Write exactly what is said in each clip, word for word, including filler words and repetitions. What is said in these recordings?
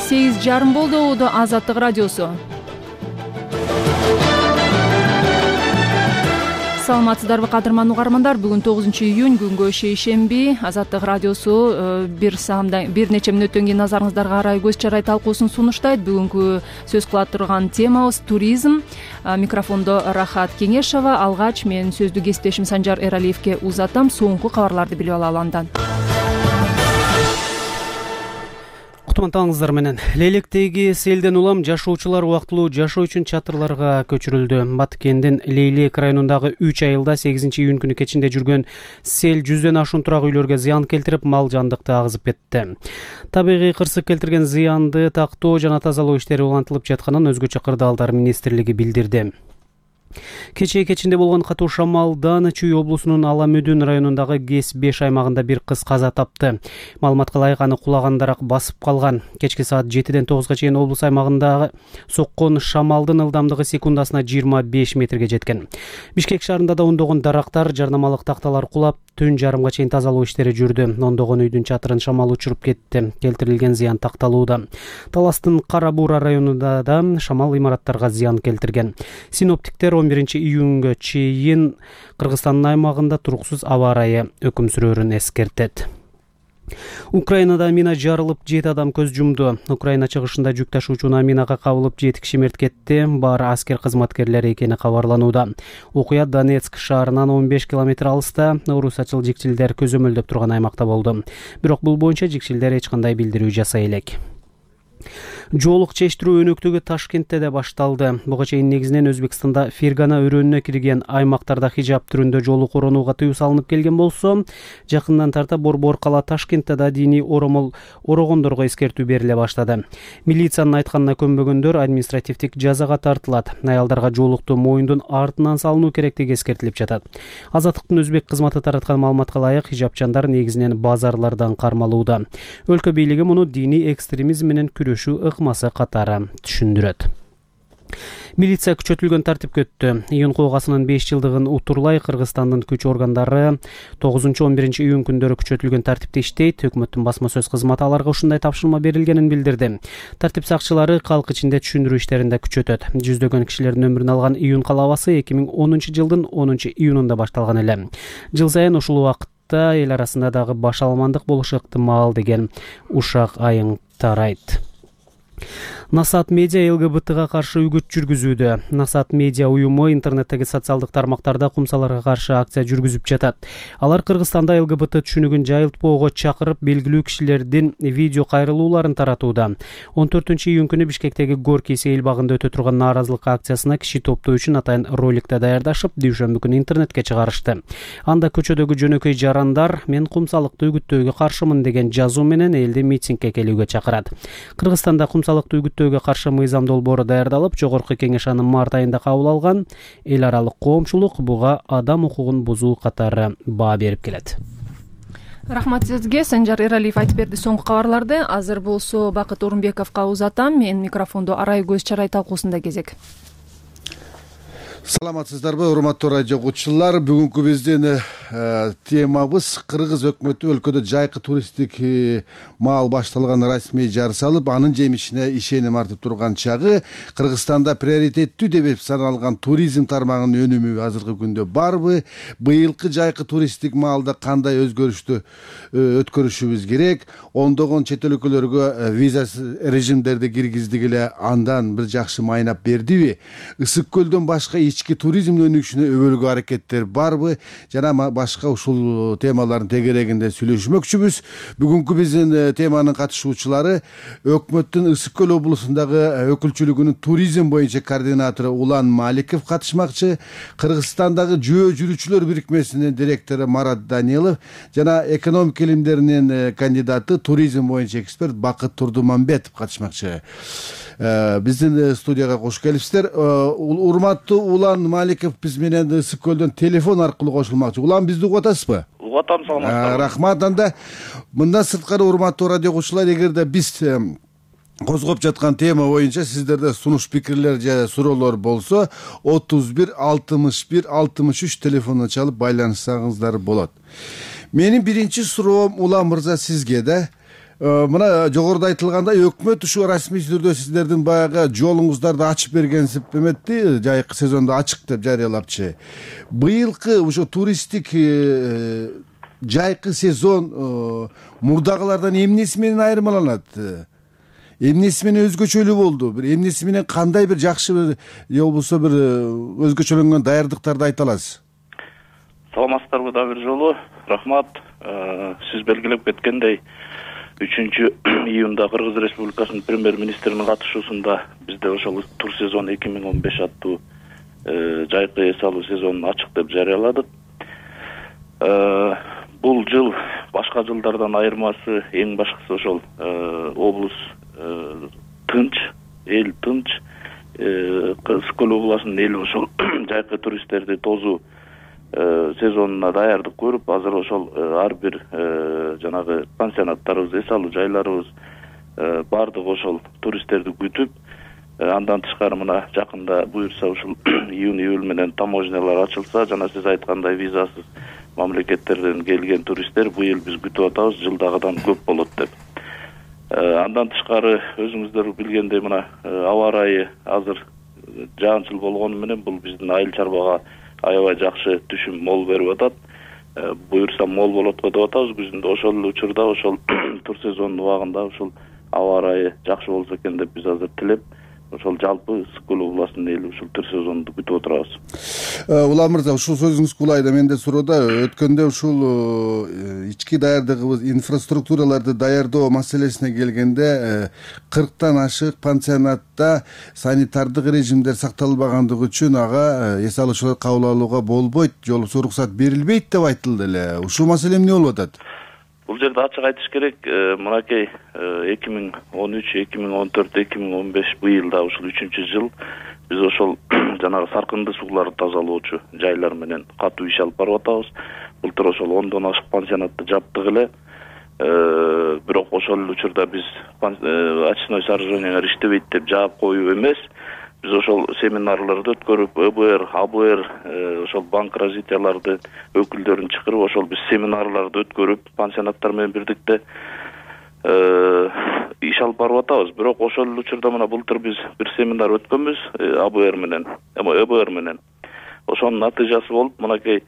сегиз жарым болду. Убуду Азаттык радиосу. Саламатсыздарбы кадырман угармандар? Бүгүн тогузунчу июнь, күнгө шейшемби. Азаттык радиосу бир саамдан бир нече мүнөттөн кийин назарыңыздарга арай көз чарай талкуусун сунуштайт. Бүгүнкү сөз кыла турган темабыз туризм. Микрофондо Рахат Кеңешова. Алгач мен сөздү кесиптешим Санжар Эралиевке узатам. Соңку кабарларды билип алалы андан. Кутмантаңыздар менен. Лейлектеги селден улам жашоочулар убактылуу жашоо үчүн чатырларга көчүрүлдү. Баткендин Лейлек районундагы үч айылда сегизинчи июнь күнү кечинде жүргөн сел жүздөн ашуун турак үйлөргө зыян келтирип, мал жандыкты агызып кетти. Табигый кырсык келтирген зыянды тактоо жана тазалоо иштери улантылып жатканын өзгөчө кырдаалдар министрлиги билдирди. Кечээ кечинде болгон катуу шамалдан Чүй облусунун Ала Мүдүн районундагы Кес беш аймагында бир кыз каза тапты. Маалыматка ылайык аны кулагандарак басып калган. Кечки саат жетиден тогузга чейин облус аймагындагы соккон шамалдын ылдамдыгы секундасына жыйырма беш метрге жеткен. Бишкек шаарында да ондогон дарактар, жарнамалык такталар кулап, түн жарымга чейин тазалоо иштери жүрдү. Ондогон үйдүн чатырын шамал учуруп кетти. Келтирилген зыян такталууда. Таластын Кара Буура районунда да шамал имараттарга зыян келтирген. Синоптиктер он биринчи июнга чейин Кыргызстандын аймагында туруксуз аба ырайы өкүм сүрөөрүн эскертет. Украинада мина жарылып жети адам көз жумду. Украина чыгышында жүк ташуучуна минага кабылып жети киши мерт кетти. Баары аскер кызматкерлери экени кабарланууда. Окуя Донецк шаарынан он беш километр алыста орусачыл жикчилдер көзөмөлдөп турган аймакта болду. Бирок бул боюнча жикчилдер эч кандай билдирүү жасай элек. Жоолук чечтирүү өнөктүгү Ташкентте де башталды. Буга чейин негизинен Өзбекстанда Фергана өрөөнүнө кирген аймактарда хижап түрүндө жоолук оронууга тыюу салынып келген болсо, жакындан тарта Борбор кала Ташкентте да диний оромол орогондорго эскертүү бериле баштады. Милициянын айтканына көнбөгөндөр административдик жазага тартылат. Аялдарга жоолукту моюндун артынан салынуу керектиги эскертилип жатат. Азаттыктын өзбек кызматы тараткан маалыматка ылайык, хижапчандар негизинен базарлардан кармалууда. Өлкө бийлиги муну диний экстремизм менен күрөшүү ыкмасы катары түшүндүрөт. Милиция күчөтүлгөн тартипке өттү. Июнь куугасынын беш жылдыгын утурлай Кыргызстандын күч органдары тогузунчу он биринчи июнь күндөрү күчөтүлгөн тартипте иштейт. Өкмөттүн басма сөз кызматы аларга ушундай тапшырма берилгенин билдирди. Тартип сакчылары калк ичинде түшүндүрүү иштеринде күчөтөт. Жүздөгөн кишилердин өмүрүн алган июнь калабасы эки миң онунчу жылдын онунчу июнунда башталган эле. Жыл сайын ушул убакытта эл арасында дагы баш аламандык болушу ыктымал деген ушак айың тарайт. Насаат медиа ЛГБТга каршы үгүт жүргүзүүдө. Насаат медиа уюму интернеттеги социалдык тармактарда кумсаларга каршы акция жүргүзүп жатат. Алар Кыргызстанда ЛГБТ түшүнүгүн жайылтпоого чакырып, белгилүү кишилердин видео кайрылууларын таратууда. он төртүнчү июнь күнү Бишкектеги Горький сейил багында өтө турган нааразылык акциясына киши топтоо үчүн атайын роликте даярдашып, дүйшөмбү күнү интернетке чыгарышты. Анда көчөдөгү жөнөкөй жарандар "Мен кумсалыкты үгүттөөгө каршымын" деген жазуу менен элди митингге келүүгө чакырат. Кыргызстанда кумсалыкты үгүттөөгө каршы мыйзам долбоору даярдалып, жогорку кеңеш аны март айында кабыл алган. Эл аралык коомчулук буга адам укугун бузуу катары баа берип келет. Рахмат сизге, Санжар Эралиев айтып берди соңку кабарларды. Азыр болсо Бакыт Орунбековго узатам. Мен микрофондо арай көз чарай талкуусунда кезек. Саламатсыздарбы, урматтуу радио угуучулар. Бүгүнкү биздин темабыз Кыргыз өкмөтү өлкөдө жайкы туристтик маал башталган расмий жарыш алып, анын жемишине ишеним артып турган чагы. Кыргызстанда приоритеттүү деп саналган туризм тармагынын өнүмү азыркы күндө барбы? Быйылкы жайкы туристтик маалда кандай өзгөрүштү өткөрүшүбүз керек? Ондогон чет өлкөлөргө виза режимдерди киргиздик эле, андан бир жакшы майнап бердиби? Ысык көлдөн башка ички туризм өнүгүшүнө өбөлгө аракеттер барбы? Жана башка ушул темалардын тегерегинде сүйлөшмөкчүбүз. Бүгүнкү биздин теманын катышуучулары өкмөттүн Ысык көл облусундагы өкүлчүлүгүнүн туризм боюнча координатору Улан Маликов катышмакчы, Кыргызстандагы жөө жүрүүчүлөр бирикмесинин директору Марат Данилов жана экономика илимдеринин кандидаты, туризм боюнча эксперт Бакыт Турдумамбетов катышмакчы. Биздин студияга кош келипсиздер. Урматтуу Улан Маликов биз менен Ысык көлдөн телефон аркылуу кошулмакчы. Улан, бизди угуп атасызбы? Угуп атам, саламатсызбы. Рахмат. Анда мындан сырткары урматтуу радио угуучулар, эгерде биз козгоп жаткан тема боюнча сиздерде сунуш пикирлер же суроолор болсо, отуз бир алтымыш бир алтымыш үч телефонуна чалып байланышсаңыздар болот. Менин биринчи суроом Улан мырза сизге да. Мына жогоруда айтылгандай өкмөт ушу расмий түрдө сиздердин баягы жолуңуздарды ачып бергенсип эметти, жайкы сезондо ачык деп жарыялапчы. Быйылкы ушу туристтик жайкы сезон мурдагылардан эмнеси менен айырмаланат? Эмнеси менен өзгөчөлүү болду? Бир эмнеси менен кандай бир жакшы же болбосо бир өзгөчөлөнгөн даярдыктарды айта аласыз? Саламатсыздарбы дагы бир жолу. Рахмат. Сиз белгилеп кеткендей, үчүнчү июнда Кыргыз Республикасынын премьер-министринин катышуусунда бизде ошол тур сезон эки миң он беш аттуу жайкы эс алуу сезонун ачык деп жарыяладык. Бул жыл башка жылдардан айырмасы эң башкысы ошол облус тынч, эл тынч, Скөл областынын эли ошол жайкы туристтерди тосуу сезонуна даярдык көрүп, азыр ошол ар бир жанагы пансионаттарыбыз, эс алуу жайларыбыз баардыгы ошол туристтерди күтүп, андан тышкары мына жакында буюрса ушул июнь июль менен таможнялар ачылса, жана сиз айткандай визасыз мамлекеттерден келген туристтер быйыл биз күтүп атабыз, жылдагыдан көп болот деп. Андан тышкары өзүңүздөр билгендей мына аба ырайы азыр жаанчыл болгону менен бул биздин айыл чарбага аябай жакшы түшүм мол берип атат. Буюрса мол болот го деп атабыз күзүндө. Ошол эле учурда ошол тур сезонунун убагында ошол аба ырайы жакшы болсо экен деп биз азыр тилеп, ошол жалпы Скөл областынын эли ушул тур сезонду күтүп отурабыз. Улам мырза, ушул сөзүңүз кулайда менде суроода өткөндө ушул ички даярдыгыбыз, инфраструктураларды даярдоо маселесине келгенде кырктан ашык пансионатта санитардык режимдер сакталбагандыгы үчүн ага эс алуучулар кабыл алууга болбойт, же болбосо уруксат берилбейт деп айтылды эле. Ушул маселе эмне болуп атат? Бул жерде ачык айтыш керек, мынакей эки миң он үч, эки миң он төрт, эки миң он беш быйылда ушул үчүнчү жыл биз ошол жанагы саркынды сууларды тазалоочу жайлар менен катуу иш алып барып атабыз. Былтыр ошол ондон ашык пансионатты жаптык эле. Бирок ошол эле учурда биз очной сооружениялар иштебейт деп жаап коюу эмес. Биз ошол семинарларды өткөрүп, Э Б Р, А Б Р, ошол банк развитияларды өкүлдөрүн чакырып, ошол биз семинарларды өткөрүп, пансионаттар менен бирдикте иш алып барып атабыз. Бирок ошол эле учурда мына былтыр биз бир семинар өткөнбүз А Б Р менен, эми Э Б Р менен. Ошонун натыйжасы болуп, мынакей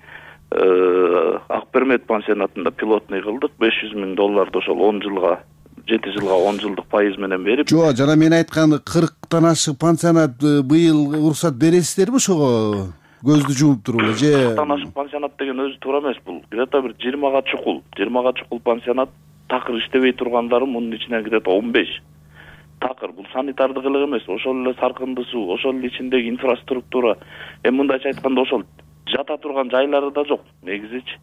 Ак Бермет пансионатында пилотный кылдык, беш жүз миң долларды ошол он жылга жети жылга он жылдык пайыз менен берип. Жок, жана мен айткан кырктан ашык пансионат быйыл уруксат бересиздерби ошого? Көздү жумуп туруп эле же? кырктан ашык пансионат деген өзү туура эмес бул. Где-то бир жыйырмага чукул, жыйырмага чукул пансионат такыр иштебей тургандары мунун ичинен где-то он беш. Такыр бул санитардык эле эмес, ошол эле саркынды суу, ошол эле ичиндеги инфраструктура. Эми мындайча айтканда ошол жата турган жайлары да жок негизичи.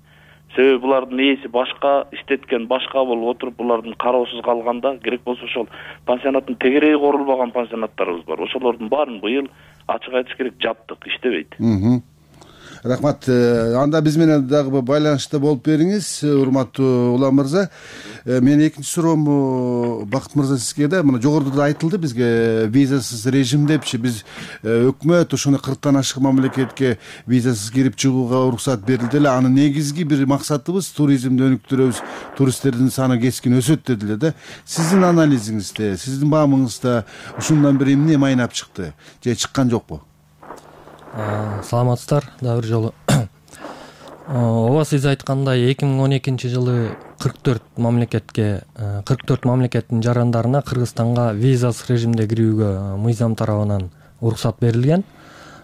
Себеби булардын ээси башка, иштеткен башка болуп отуруп, булардын кароосуз калганда, керек болсо ошол пансионаттын тегереги корулбаган пансионаттарыбыз бар. Ошолордун баарын быйыл ачык айтыш керек жаптык, иштебейт. Рахмат. Анда биз менен дагы байланышта болуп бериңиз, урматтуу Улам мырза. Мен экинчи суроом Бакыт мырза сизге да, мына жогоруда да айтылды бизге визасыз режим депчи. Биз өкмөт ошону кырктан ашык мамлекетке визасыз кирип чыгууга уруксат берилди эле. Анын негизги бир максатыбыз туризмди өнүктүрөбүз, туристтердин саны кескин өсөт деди эле да. Сиздин анализиңизде, сиздин баамыңызда ушундан бир эмне майнап чыкты же чыккан жокпу? Саламатсыздар дагы бир жолу. Ооба, сиз айткандай эки миң он экинчи жылы кырк төрт мамлекетке, кырк төрт мамлекеттин жарандарына Кыргызстанга визасыз режимде кирүүгө мыйзам тарабынан уруксат берилген.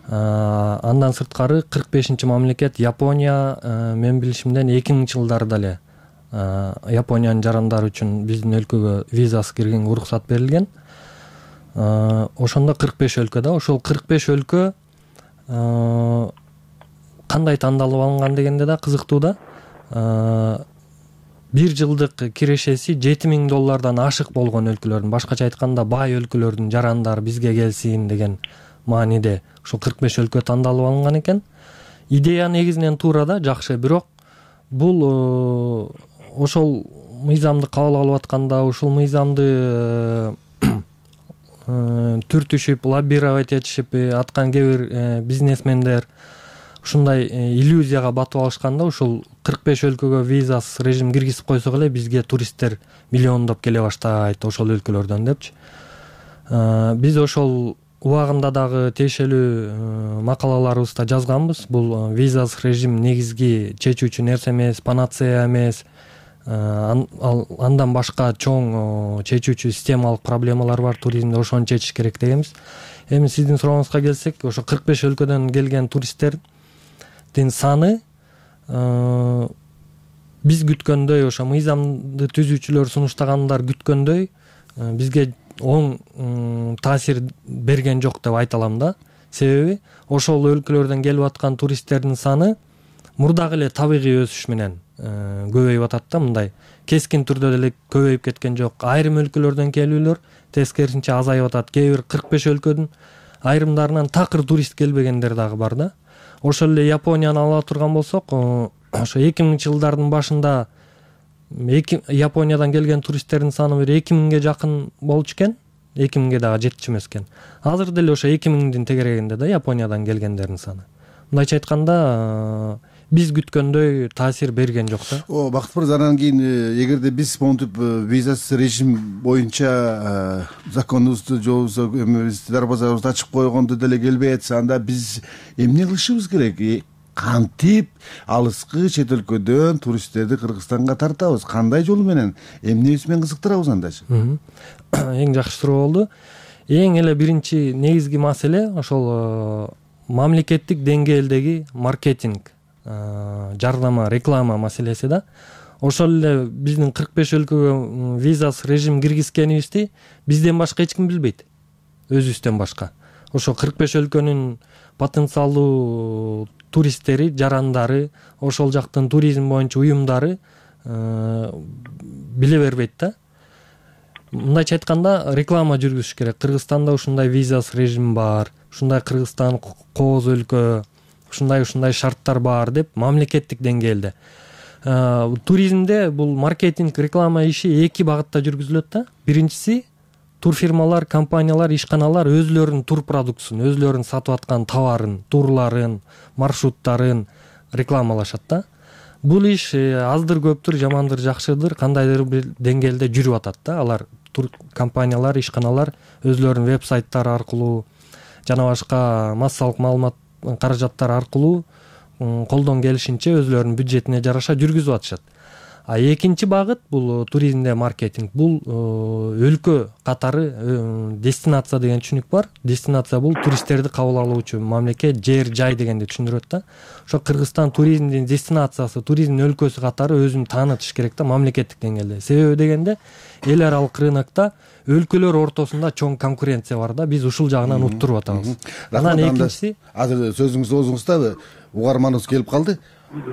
Андан сырткары кырк бешинчи мамлекет Япония, мен билишимден эки миңинчи жылдарда эле Япониянын жарандары үчүн биздин өлкөгө визасыз киргенге уруксат берилген. Ошондо кырк беш өлкө да, ошол кырк беш өлкө кандай тандалып алынган дегенде да кызыктуу да. Бир жылдык кирешеси жети миң доллардан ашык болгон өлкөлөрдүн, башкача айтканда бай өлкөлөрдүн жарандары бизге келсин деген мааниде ушул кырк беш өлкө тандалып алынган экен. Идея негизинен туура да, жакшы, бирок бул ошол мыйзамды кабыл алып атканда, ушул мыйзамды түртүшүп, лоббировать этишип аткан кээ бир бизнесмендер ушундай иллюзияга батып алышканда, ушул кырк беш өлкөгө визасыз режим киргизип койсок эле бизге туристтер миллиондоп келе баштайт ошол өлкөлөрдөн депчи. Биз ошол убагында дагы тиешелүү макалаларыбызда жазганбыз. Бул визасыз режим негизги чечүүчү нерсе эмес, панацея эмес. Андан башка чоң чечүүчү системалык проблемалар бар туризмде, ошону чечиш керек дегенбиз. Эми сиздин сурооңузга келсек, ошо кырк беш өлкөдөн келген туристтердин саны биз күткөндөй, ошо мыйзамды түзүүчүлөр сунуштагандар күткөндөй бизге оң таасир берген жок деп айта алам да. Себеби ошол өлкөлөрдөн келип аткан туристтердин саны мурдагы эле табигый өсүш менен көбөйүп атат да. Мындай кескин түрдө деле көбөйүп кеткен жок. Айрым өлкөлөрдөн келүүлөр тескерисинче азайып атат. Кээ бир кырк беш өлкөдүн айрымдарынан такыр турист келбегендер дагы бар да. Ошол эле Японияны ала турган болсок, ошо эки миңинчи жылдардын башында Япониядан келген туристтердин саны бир эки миңге жакын болчу экен. эки миңге дагы жетчү эмес экен. Азыр деле ошо эки миңдин тегерегинде да Япониядан келгендердин саны. Мындайча айтканда, биз күткөндөй таасир берген жок да. О, Бакыт мырза, анан кийин эгерде биз монтип визасыз режим боюнча законубузду жобубузду эмебизди дарбазабызды ачып койгондо деле келбей атса, анда биз эмне кылышыбыз керек? Кантип алыскы чет өлкөдөн туристтерди Кыргызстанга тартабыз? Кандай жол менен, эмнебиз менен кызыктырабыз андачы? Эң жакшы суроо болду. Эң эле биринчи негизги маселе ошол мамлекеттик деңгээлдеги маркетинг, жардама, реклама маселеси да. Ошол эле биздин кырк беш өлкөгө визасыз режим киргизгенибизди бизден башка эч ким билбейт. Өзүбүздөн башка. Ошо кырк беш өлкөнүн потенциалдуу туристтери, жарандары, ошол жактын туризм боюнча уюмдары биле бербейт да. Мындайча айтканда, реклама жүргүзүш керек. Кыргызстанда ушундай визасыз режим бар, ушундай Кыргызстан кооз өлкө, ушундай ушундай шарттар бар деп мамлекеттик деңгээлде. Туризмде бул маркетинг, реклама иши эки багытта жүргүзүлөт да. Биринчиси, турфирмалар, компаниялар, ишканалар өзлөрүнүн тур продуктусун, өзлөрүнүн сатып аткан товарын, турларын, маршруттарын рекламалашат да. Бул иш аздыр көптүр, жамандыр жакшыдыр, кандайдыр бир деңгээлде жүрүп атат да. Алар тур компаниялар, ишканалар өзлөрүнүн веб-сайттары аркылуу жана башка массалык маалымат каражаттар аркылуу колдон келишинче өзлөрүнүн бюджетине жараша жүргүзүп атышат. А экинчи багыт бул туризмде маркетинг. Бул өлкө катары дестинация деген түшүнүк бар. Дестинация бул туристтерди кабыл алуучу мамлекет, жер, жай дегенди түшүндүрөт да. Ошо Кыргызстан туризмдин дестинациясы, туризмдин өлкөсү катары өзүн таанытыш керек да мамлекеттик деңгээлде. Себеби дегенде эл аралык рынокто өлкөлөр ортосунда чоң конкуренция бар да. Биз ушул жагынан уттуруп атабыз. Анан экинчиси, азыр сөзүңүздү оозуңузда угарманыбыз келип калды.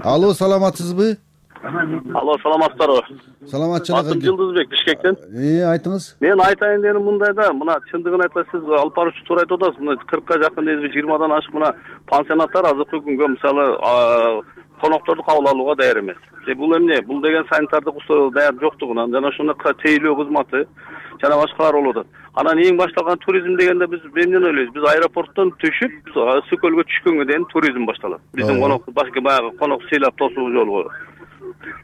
Алло, саламатсызбы? Алло, саламатсыздарбы? Саламатчылык. Атым Жылдызбек, Бишкектен. Э, айтыңыз. Мен айтайын дегеним мындай да, мына чындыгын айтсак, сиз алып баруучу туура айтып атасыз. Мына кыркка жакын дейбиз, жыйырмадан ашык мына пансионаттар азыркы күнгө мисалы конокторду кабыл алууга даяр эмес. Бул эмне? Бул деген санитардык условия даяр жоктугунан жана ошондой тейлөө кызматы жана башкалар болуп атат. Анан эң башталган туризм дегенде биз эмнени ойлойбуз? Биз аэропорттон түшүп, Сокөлгө түшкөнгө дейин туризм башталат. Биздин конок башка баягы конок сыйлап тосуу жолу.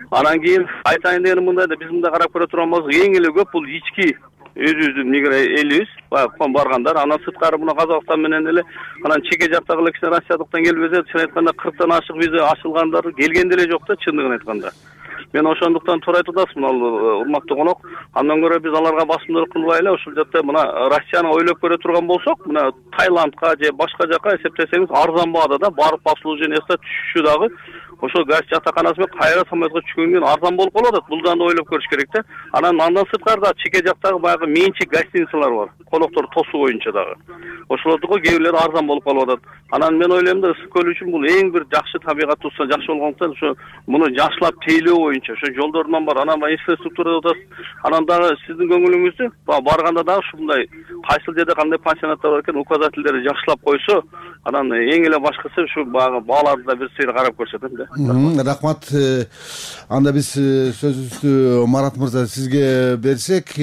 Анан кийин айтайын дегеним мындай да, биз мында карап көрө турган болсок, эң эле көп бул ички өзүбүздүн элибиз, баягы баргандар. Анан сырткары мына Казакстан менен эле, анан чеке жактагы эле кичине Россиядыктан келип эзе, чын айтканда кырктан ашык виза ачылгандар келген деле жок да, чындыгын айтканда. Мен ошондуктан туура айтып атасыз, мына урматтуу конок. Андан көрө биз аларга басымдуулук кылбайлы, ушул жакта мына Россияны ойлоп көрө турган болсок, мына Таиландка же башка жака эсептесеңиз арзан баада да, барып обслуживаниясына түшүшү дагы ошо газ жатаканасы менен кайра самолетко түшкөндөн кийин арзан болуп калып атат. Бул да ойлоп көрүш керек да. Анан андан сырткары чеке жактагы баягы менчик гостиницалар бар, конокторду тосуу боюнча дагы. Ошолордуку кээ бирлери арзан болуп калып атат. Анан мен ойлойм да, Ысык көл үчүн бул эң бир жакшы табигат турса жакшы болгондуктан ошо муну жакшылап тейлөө боюнча ошо жолдорунан бар, анан инфраструктура деп атасыз. Анан дагы сиздин көңүлүңүздү барганда дагы ушундай кайсыл жерде кандай пансионаттар бар экен, указательдерди жакшылап койсо, анан эң эле башкысы ушу баягы бааларды да бир сыйр карап көрсөтөм да. Рахмат. Анда биз сөзүбүздү Марат мырза сизге берсек,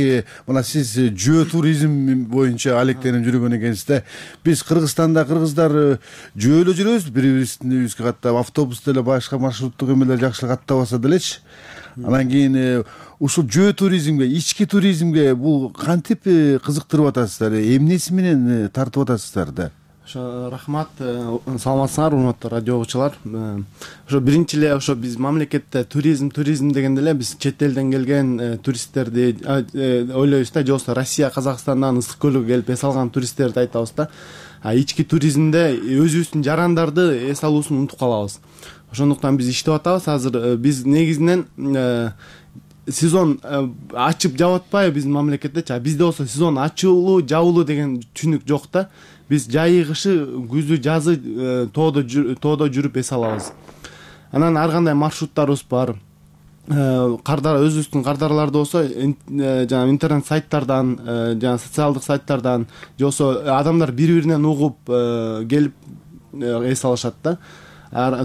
мына сиз жөө туризм боюнча алектенип жүргөн экенсиз да. Биз Кыргызстанда кыргыздар жөө эле жүрөбүз, бири бирибизге каттап, автобус деле башка маршруттук эмелер жакшылап каттабаса делечи. Анан кийин ушул жөө туризмге, ички туризмге бул кантип кызыктырып атасыздар, эмнеси менен тартып атасыздар да? Ошо рахмат, саламатсыңар урматтуу радио угуучулар. Ошо биринчи эле ошо биз мамлекетте туризм туризм дегенде эле биз чет элден келген туристтерди ойлойбуз да, же болбосо Россия, Казакстандан ысык көлгө келип эс алган туристтерди айтабыз да. А ички туризмде өзүбүздүн жарандарды эс алуусун унутуп калабыз. Ошондуктан биз иштеп атабыз. Азыр биз негизинен сезон ачып жаап атпайбы биздин мамлекеттечи, а бизде болсо сезон ачуулуу, жабылуу деген түшүнүк жок да. Биз жайы, кышы, күзү, жазы тоодо тоодо жүрүп эс алабыз. Анан ар кандай маршруттарыбыз бар. Кардар өзүбүздүн кардарларда болсо жана интернет сайттардан, жана социалдык сайттардан, же болбосо адамдар бири-биринен угуп келип эс алышат да.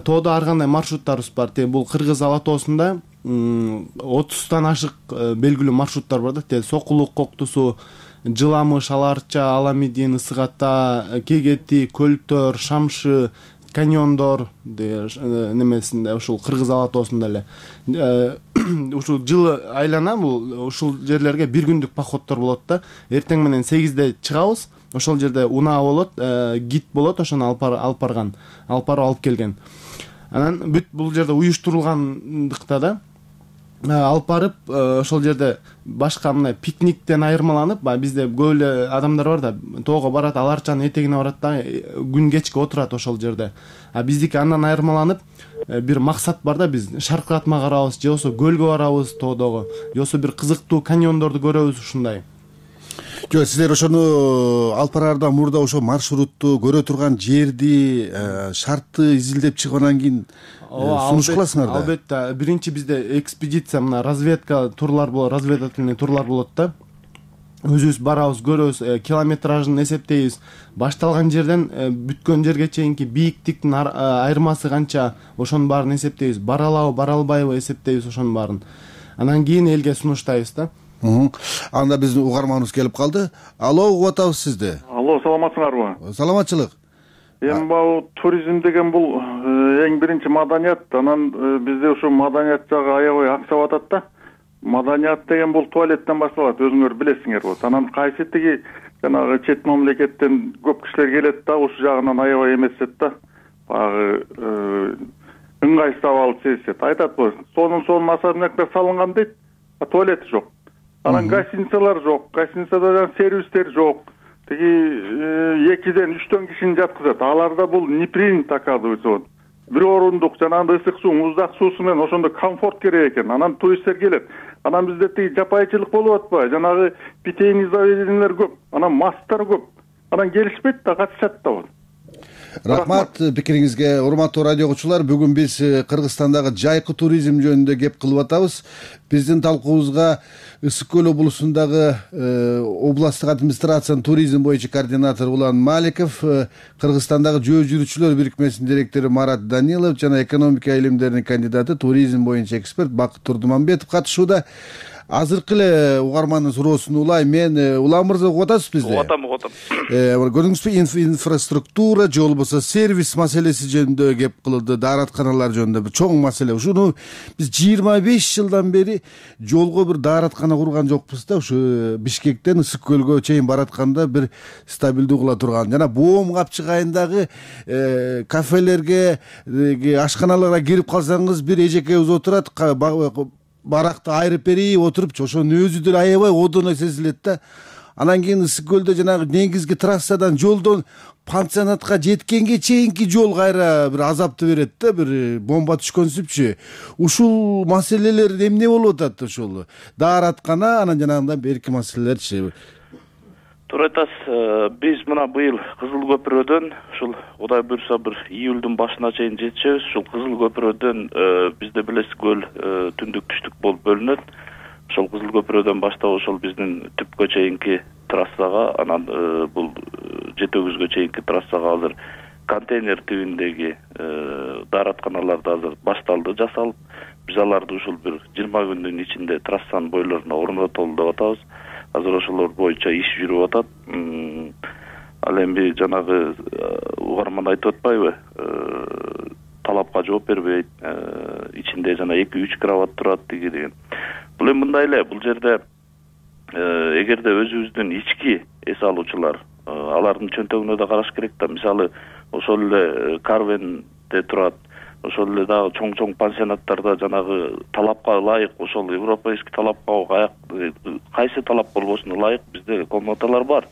Тоодо ар кандай маршруттарыбыз бар. Бул Кыргыз Алатоосунда отуздан ашык белгилүү маршруттар бар да. Сокулук Коктусу, Жыламыш, Аларча, Аламидин, Ысык Ата, Кегети, Көлтөр, Шамшы, каньондор немесинде, ушул Кыргыз Алатоосунда эле ушул жыл айлана бул ушул жерлерге бир күндүк походдор болот да. Эртең менен сегизде чыгабыз. Ошол жерде унаа болот, гид болот, ошону алып алып барган, алып барып алып келген. Анан бүт бул жерде уюштурулгандыкта да алып барып, ошол жерде башка мындай пикниктен айырмаланып, бизде көп эле адамдар бар да, тоого барат, Аларчанын этегине барат да, күн кечке отурат ошол жерде. А биздики андан айырмаланып, бир максат бар да, биз шаркыратма карабыз, же болбосо көлгө барабыз тоодогу, же болбосо бир кызыктуу каньондорду көрөбүз ушундай. Жок, силер ошону алып бараардан мурда ошо маршрутту, көрө турган жерди, шартты изилдеп чыгып анан кийин сунуш кыласыңар да? Албетте, биринчи бизде экспедиция, мына разведка турлар болот, разведательный турлар болот да. Өзүбүз барабыз, көрөбүз, километражын эсептейбиз. Башталган жерден бүткөн жерге чейинки бийиктиктин айырмасы канча, ошонун баарын эсептейбиз. Бара алабы, бара албайбы эсептейбиз ошонун баарын. Анан кийин элге сунуштайбыз да. Анда биздин угарманыбыз келип калды. Алло, угуп атабыз сизди. Алло, саламатсыңарбы? Саламатчылык. Эми бул туризм деген бул эң биринчи маданият. Анан бизде ушу маданият жагы аябай аксап атат да. Маданият деген бул туалеттен башталат, өзүңөр билесиңер болот. Анан кайсы тиги жанагы чет мамлекеттен көп кишилер келет да, ушул жагынан аябай эмесет да. Багы ыңгайсыз абал сезишет. Айтат, сонун сонун особняктар салынган дейт, а туалети жок. Анан гостиницалар жок, гостиницада сервистер жок. Тиги экиден үчтөн кишини жаткызат. Аларда бул не принято, оказывается. Бир орундук жанагы ысык суу, муздак суусу менен ошондо комфорт керек экен. Анан туристтер келет. Анан бизде тиги жапайчылык болуп атпайбы? Жанагы питейный заведениялер көп, анан масттар көп. Анан келишпейт да, катышат да. Рахмат пикириңизге, урматтуу радио угуучулар. Бүгүн биз Кыргызстандагы жайкы туризм жөнүндө кеп кылып атабыз. Биздин талкуубузга Ысык көл облусундагы областтык администрациянын туризм боюнча координатору Улан Маликов, Кыргызстандагы жөө жүрүүчүлөр бирикмесинин директору Марат Данилов жана экономика илимдеринин кандидаты, туризм боюнча эксперт Бакыт Турдуманбетов катышууда. Азыркы эле угармандын суроосун улайм. Мен Улан мырза угуп атасыз бизди? Угуп атам, угуп атам. Көрдүңүзбү, инфраструктура же болбосо сервис маселеси жөнүндө кеп кылды, дааратканалар жөнүндө бир чоң маселе. Ушуну биз жыйырма беш жылдан бери жолго бир даараткана курган жокпуз да. Ушу Бишкектен Ысык көлгө чейин баратканда бир стабилдүү кыла турган. Жана Боом Капчык айындагы кафелерге, ашканаларга кирип калсаңыз, бир эжекебиз отурат, баракты айрып берейин отурупчу, ошонун өзү деле аябай одоно сезилет да. Анан кийин Ысык көлдө жанагы негизги трассадан, жолдон пансионатка жеткенге чейинки жол кайра бир азапты берет да, бир бомба түшкөнсүпчү. Ушул маселелер эмне болуп атат ушул? Даараткана, анан жанагындай берки маселелерчи. Туура айтасыз. Биз мына быйыл Кызыл көпүрөдөн ушул Кудай буйрса бир июлдун башына чейин жетишебиз. Ушул Кызыл көпүрөдөн бизде билесиз көл түндүк түштүк болуп бөлүнөт. Ошол Кызыл көпүрөдөн баштап ошол биздин түпкө чейинки трассага, анан бул жетөгүзгө чейинки трассага азыр контейнер тибиндеги дааратканаларды азыр башталды жасалып. Биз аларды ушул бир жыйырма күндүн ичинде трассанын бойлоруна орнотолду деп атабыз. Азыр ошолор боюнча иш жүрүп атат. ал эми жанагы угарман айтып атпайбы, талапка жооп бербейт, ичинде жана эки үч кровать турат деги деген. Бул эми мындай эле, бул жерде эгерде өзүбүздүн ички эс алуучулар алардын чөнтөгүнө да караш керек да. Мисалы ошол эле Карвенде турат, ошол эле дагы чоң-чоң пансионаттарда жанагы талапка ылайык, ошол европейский талапка кайсы талап болбосун ылайык бизде комнаталар бар.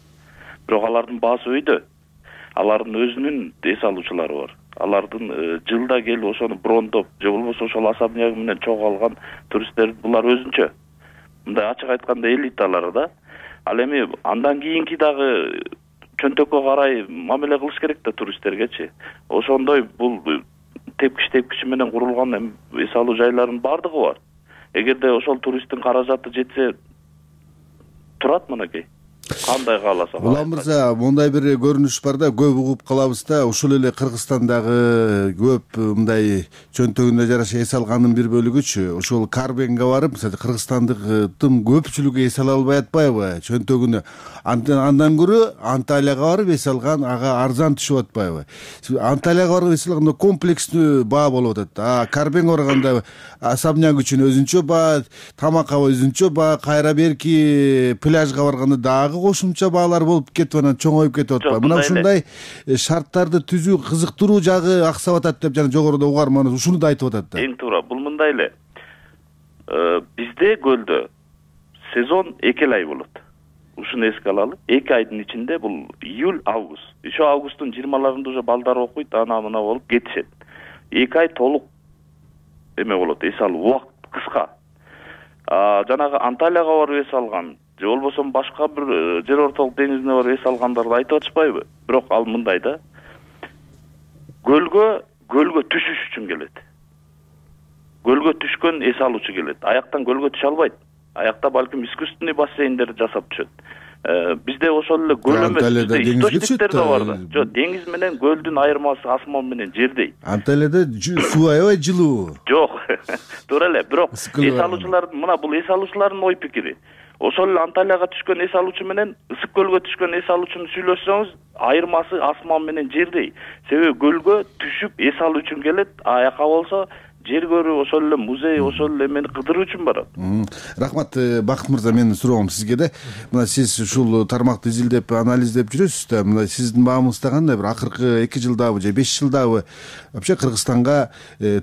Бирок алардын баасы өйдө. Алардын өзүнүн эс алуучулары бар. Алардын жылда келип ошону брондоп, же болбосо ошол особнягы менен чогуу алган туристтер булар өзүнчө. Мындай ачык айтканда элиталары да. Ал эми андан кийинки дагы чөнтөккө карай мамиле кылыш керек да туристтергечи. Ошондой бул тепкич тепкичи менен курулган эс алуу жайларынын бардыгы бар. Эгерде ошол туристтин каражаты жетсе турат мынакей. Кандай кааласа. Улам мырза, мындай бир көрүнүш бар да, көп угуп калабыз да, ушул эле Кыргызстандагы көп мындай чөнтөгүнө жараша эс алгандын бир бөлүгүчү ошол Карбенге барып, мисалы кыргызстандыктын көпчүлүгү эс ала албай атпайбы чөнтөгүнө. Андан көрө Анталияга барып эс алган ага арзан түшүп атпайбы? Анталияга барып эс алганда комплекстүү баа болуп атат. А Карбенге барганда особняк үчүн өзүнчө баа, тамакка өзүнчө баа, кайра берки пляжга барганда дагы кошумча баалар болуп кетип анан чоңоюп кетип атпайбы? Мына ушундай шарттарды түзүү кызыктыруу жагы аксап атат деп жана жогоруда угарманыбыз ушуну да айтып атат да. Эң туура. Бул мындай эле. Бизде көлдө сезон эки ай болот. Ушуну эске алалы. эки айдын ичинде бул июль, август. Ошо августтун жыйырмаларында уже балдар окуйт, ана мына болуп кетишет. эки ай толук эме болот, эс алуу убакыт кыска. А жанагы Анталияга барып эс алган, же болбосо башка бир жер ортолук деңизине барып эс алгандарды айтып атышпайбы? Бирок ал мындай да. Көлгө, көлгө түшүш үчүн келет. Көлгө түшкөн эс алуучу келет. Аяктан көлгө түшө албайт. Аякта балким искусственный бассейндерди жасап түшөт. Бизде ошол эле көл эмес, бизде источниктер да бар да. Жок, деңиз менен көлдүн айырмасы асман менен жердей. Анталияда суу аябай жылуу. Жок, туура эле. Бирок эс алуучулардын, мына бул эс алуучулардын ой пикири. Ошол эле Анталияга түшкөн эс алуучу менен ысык көлгө түшкөн эс алуучуну сүйлөшсөңүз, айырмасы асман менен жердей. Себеби көлгө түшүп эс алуу үчүн келет, аяка болсо жер көрүү, ошол эле музей, ошол эле эмени кыдыруу үчүн барат. Рахмат, Бакыт мырза, менин суроом сизге да. Мына сиз ушул тармакты изилдеп, анализдеп жүрөсүз да. Мына сиздин баамыңызда кандай бир акыркы эки жылдабы же беш жылдабы вообще Кыргызстанга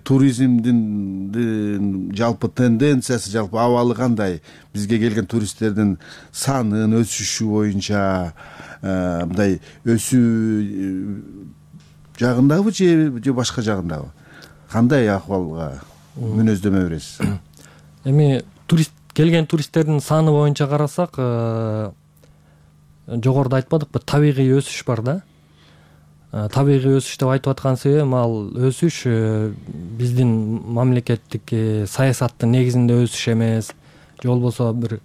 туризмдин жалпы тенденциясы, жалпы абалы кандай? Бизге келген туристтердин санын өсүшү боюнча мындай өсүү жагындабы же башка жагындабы? Кандай акыбалга мүнөздөмө бересиз? Эми турист келген туристтердин саны боюнча карасак, жогоруда айтпадыкпы, табигый өсүш бар да. Табигый өсүш деп айтып аткан себебим ал өсүш биздин мамлекеттик саясаттын негизинде өсүш эмес, же болбосо бир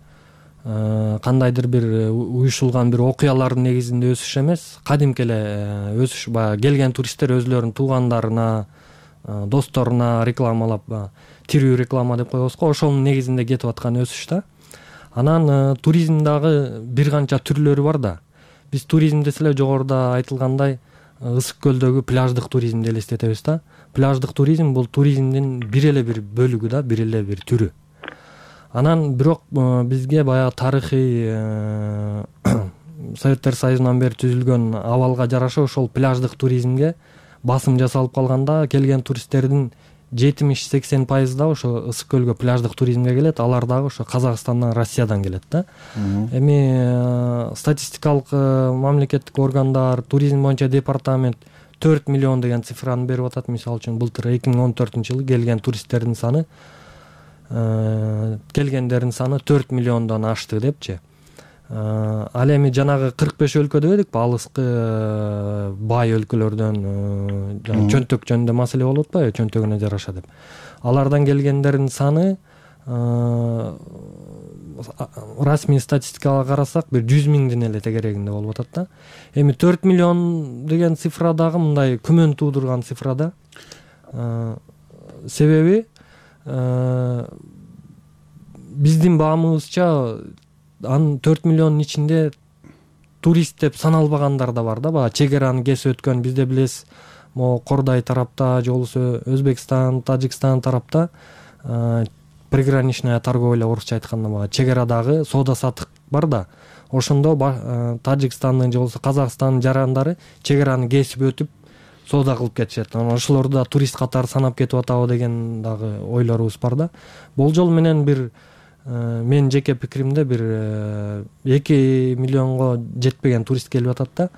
кандайдыр бир уюшулган бир окуялардын негизинде өсүш эмес, кадимки эле өсүш. Баягы келген туристтер өзүлөрүнүн туугандарына, досторуна рекламалап, тирүү реклама деп коебуз го, ошонун негизинде кетип аткан өсүш да. Анан туризм дагы бир канча түрлөрү бар да. Биз туризм десе эле жогоруда айтылгандай ысык көлдөгү пляждык туризмди элестетебиз да. Пляждык туризм бул туризмдин бир эле бир бөлүгү да, бир эле бир түрү. Анан бирок бизге баягы тарыхый Советтер Союзунан бери түзүлгөн абалга жараша ошол пляждык туризмге басым жасалып калганда келген туристтердин жетимиш сексен пайызы да ошо ысык көлгө пляждык туризмге келет. Алар дагы ошо Казакстандан, Россиядан келет да. Эми статистикалык мамлекеттик органдар, туризм боюнча департамент төрт миллион деген цифраны берип атат. Мисалы үчүн былтыр эки миң он төртүнчү жылы келген туристтердин саны келгендердин саны төрт миллиондон ашты депчи. Ал эми жанагы кырк беш өлкө дебедикпи, алыскы бай өлкөлөрдөн чөнтөк жөнүндө маселе болуп атпайбы, чөнтөгүнө жараша деп. Алардан келгендердин саны расмий статистикага карасак бир жүз миңдин эле тегерегинде болуп атат да. Эми төрт миллион деген цифра дагы мындай күмөн туудурган цифра да. Себеби биздин баамыбызча анын төрт миллиондун ичинде турист деп саналбагандар да бар да, баягы чек араны кесип өткөн. Бизде билесиз, могу Кордай тарапта же болбосо Өзбекстан, Тажикстан тарапта приграничная торговля, орусча айтканда баягы чек арадагы соода саттык бар да. Ошондо Тажикстандын же болбосо Казакстандын жарандары чек араны кесип өтүп соода кылып кетишет. Ошолорду да турист катары санап кетип атабы деген дагы ойлорубуз бар да. Болжол менен бир менин жеке пикиримде бир эки миллионго жетпеген турист келип атат да.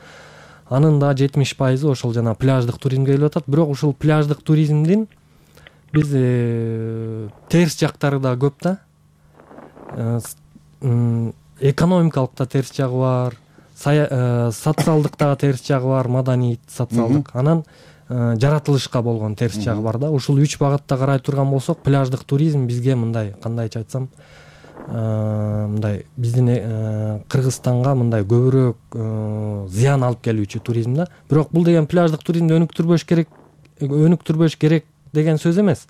Анын да жетимиш пайызы ошол жана пляждык туризмге келип атат. Бирок ушул пляждык туризмдин биз терс жактары да көп да. Экономикалык да терс жагы бар, социалдык дагы терс жагы бар, маданий социалдык, анан жаратылышка болгон терс жагы бар да. Ушул үч багытта карай турган болсок, пляждык туризм бизге мындай, кандайча айтсам, мындай биздин Кыргызстанга мындай көбүрөөк зыян алып келүүчү туризм да. Бирок бул деген пляждык туризмди өнүктүрбөш керек, өнүктүрбөш керек деген сөз эмес.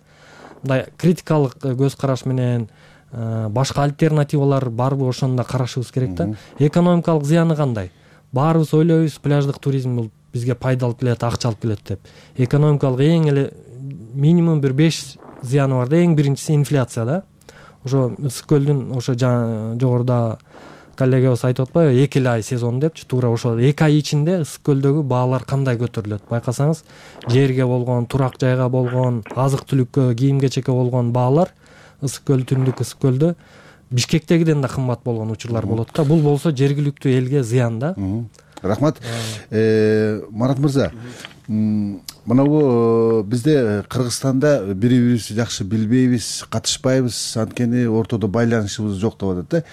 Мындай критикалык көз караш менен башка альтернативалар барбы, ошону да карашыбыз керек да. Экономикалык зыяны кандай? Баарыбыз ойлойбуз, пляждык туризм бул бизге пайда алып келет, акча алып келет деп. Экономикалык эң эле минимум бир беш зыяны бар да. Эң биринчиси инфляция да. Ошо Ысык көлдүн ошо жогоруда коллегабыз айтып атпайбы, эки эле ай сезон депчи, туура ошол эки ай ичинде Ысык көлдөгү баалар кандай көтөрүлөт? Байкасаңыз, жерге болгон, турак жайга болгон, азык-түлүккө, кийим-кечекке болгон баалар Ысык көл, түндүк Ысык көлдө Бишкектегиден да кымбат болгон учурлар болот да. Бул болсо жергиликтүү элге зыян да. Рахмат. Марат мырза, мынабу бизде Кыргызстанда бири бирибизди жакшы билбейбиз, катышпайбыз, анткени ортодо байланышыбыз жок деп атат да.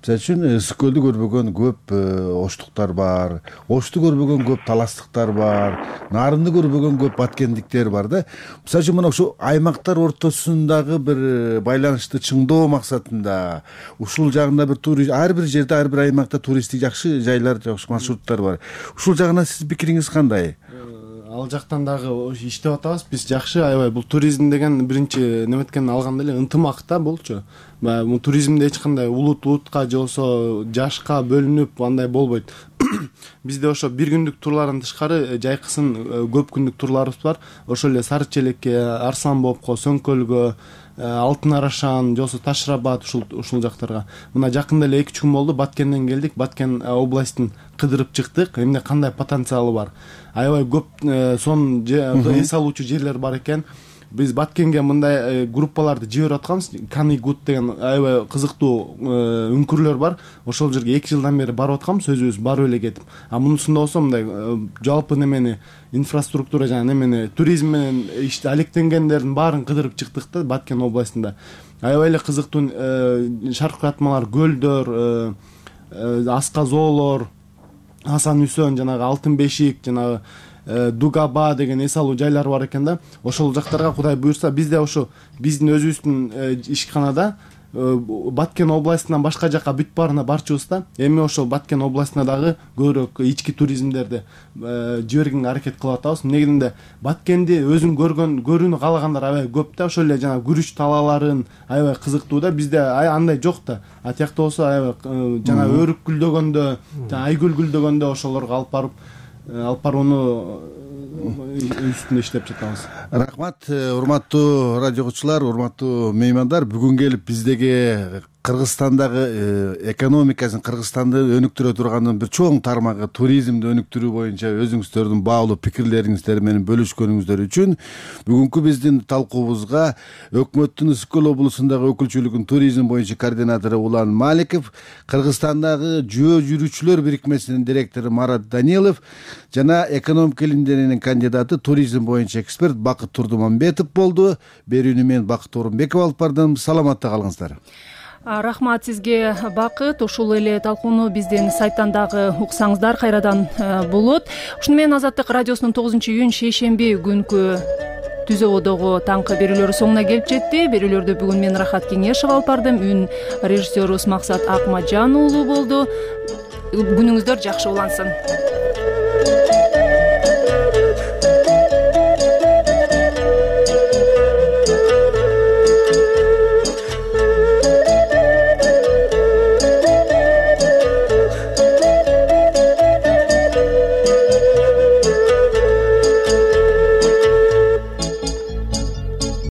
Мисалы үчүн Ысык көлдү көрбөгөн көп оштуктар бар, Ошту көрбөгөн көп таластыктар бар, Нарынды көрбөгөн көп баткендиктер бар да. Мисалы үчүн мына ушу аймактар ортосундагы бир байланышты чыңдоо максатында ушул жагында бир турист, ар бир жерде, ар бир аймакта туристтик жакшы жайлар, жакшы маршруттар бар. Ушул жагына сиздин пикириңиз кандай? Ал жактан дагы иштеп атабыз. Биз жакшы, аябай бул туризм деген биринчи неметкен алганда эле ынтымак да булчу. Бул туризмде эч кандай улут улутка же болбосо жашка бөлүнүп андай болбойт. Бизде ошо бир күндүк турлардан тышкары жайкысын көп күндүк турларыбыз бар. Ошол эле Сары Челекке, Арсланбобко, Сөңкөлгө, Алтын Арашан, же болбосо Ташрабат, ушул ушул жактарга. Мына жакында эле эки үч күн болду, Баткенден келдик. Баткен областын кыдырып чыктык. Эмне кандай потенциалы бар? Аябай көп сон эс алуучу жерлер бар экен. Биз Баткенге мындай группаларды жиберип атканбыз. Канигут деген аябай кызыктуу үңкүрлөр бар. Ошол жерге эки жылдан бери барып атканбыз, өзүбүз барып эле кетип. А мунусунда болсо мындай жалпы немени инфраструктура жана немени туризм менен иште алектенгендердин баарын кыдырып чыктык да Баткен областында. Аябай эле кызыктуу шаркыратмалар, көлдөр, асказоолор, Асан Үсөн, жанагы Алтын Бешик, жанагы Дугаба деген эс алуу жайлар бар экен да. Ошол жактарга Кудай буйрса, бизде ошо биздин өзүбүздүн ишканада Баткен областынан башка жакка бүт баарына барчубуз да. Эми ошол Баткен областына дагы көбүрөөк ички туризмдерди жибергенге аракет кылып атабыз. Негизинде Баткенди өзүн көргөн, көрүүнү каалагандар аябай көп да. Ошол эле жана күрүч талааларын аябай кызыктуу да. Бизде андай жок да. А тиякта болсо аябай жана өрүк гүлдөгөндө, айгүл гүлдөгөндө ошолорго алып барып алып барууну үстүндө иштеп жатабыз. Рахмат, урматтуу радио угуучулар, урматтуу меймандар. Бүгүн келип биздеги Кыргызстандагы экономикасын, Кыргызстанды өнүктүрө турган бир чоң тармагы туризмди өнүктүрүү боюнча өзүңүздөрдүн баалуу пикирлериңиздер менен бөлүшкөнүңүздөр үчүн бүгүнкү биздин талкуубузга өкмөттүн Ысык көл облусундагы өкүлчүлүгүнүн туризм боюнча координатору Улан Маликов, Кыргызстандагы жөө жүрүүчүлөр бирикмесинин директору Марат Данилов жана экономика илимдеринин кандидаты, туризм боюнча эксперт Бакыт Турдуманбетов болду. Берүүнү мен Бакыт Орунбеков алып бардым. Саламатта калыңыздар. Рахмат сизге, Бакыт. Ушул эле талкууну биздин сайттан дагы уксаңыздар кайрадан болот. Ушуну менен Азаттык радиосунун тогузунчу июнь шейшемби күнкү түзөөдөгү таңкы берүүлөрү соңуна келип жетти. Берүүлөрдү бүгүн мен Рахат Кеңешов алып бардым. Үн режиссерубуз Максат Акмаджан уулу болду. Күнүңүздөр жакшы улансын.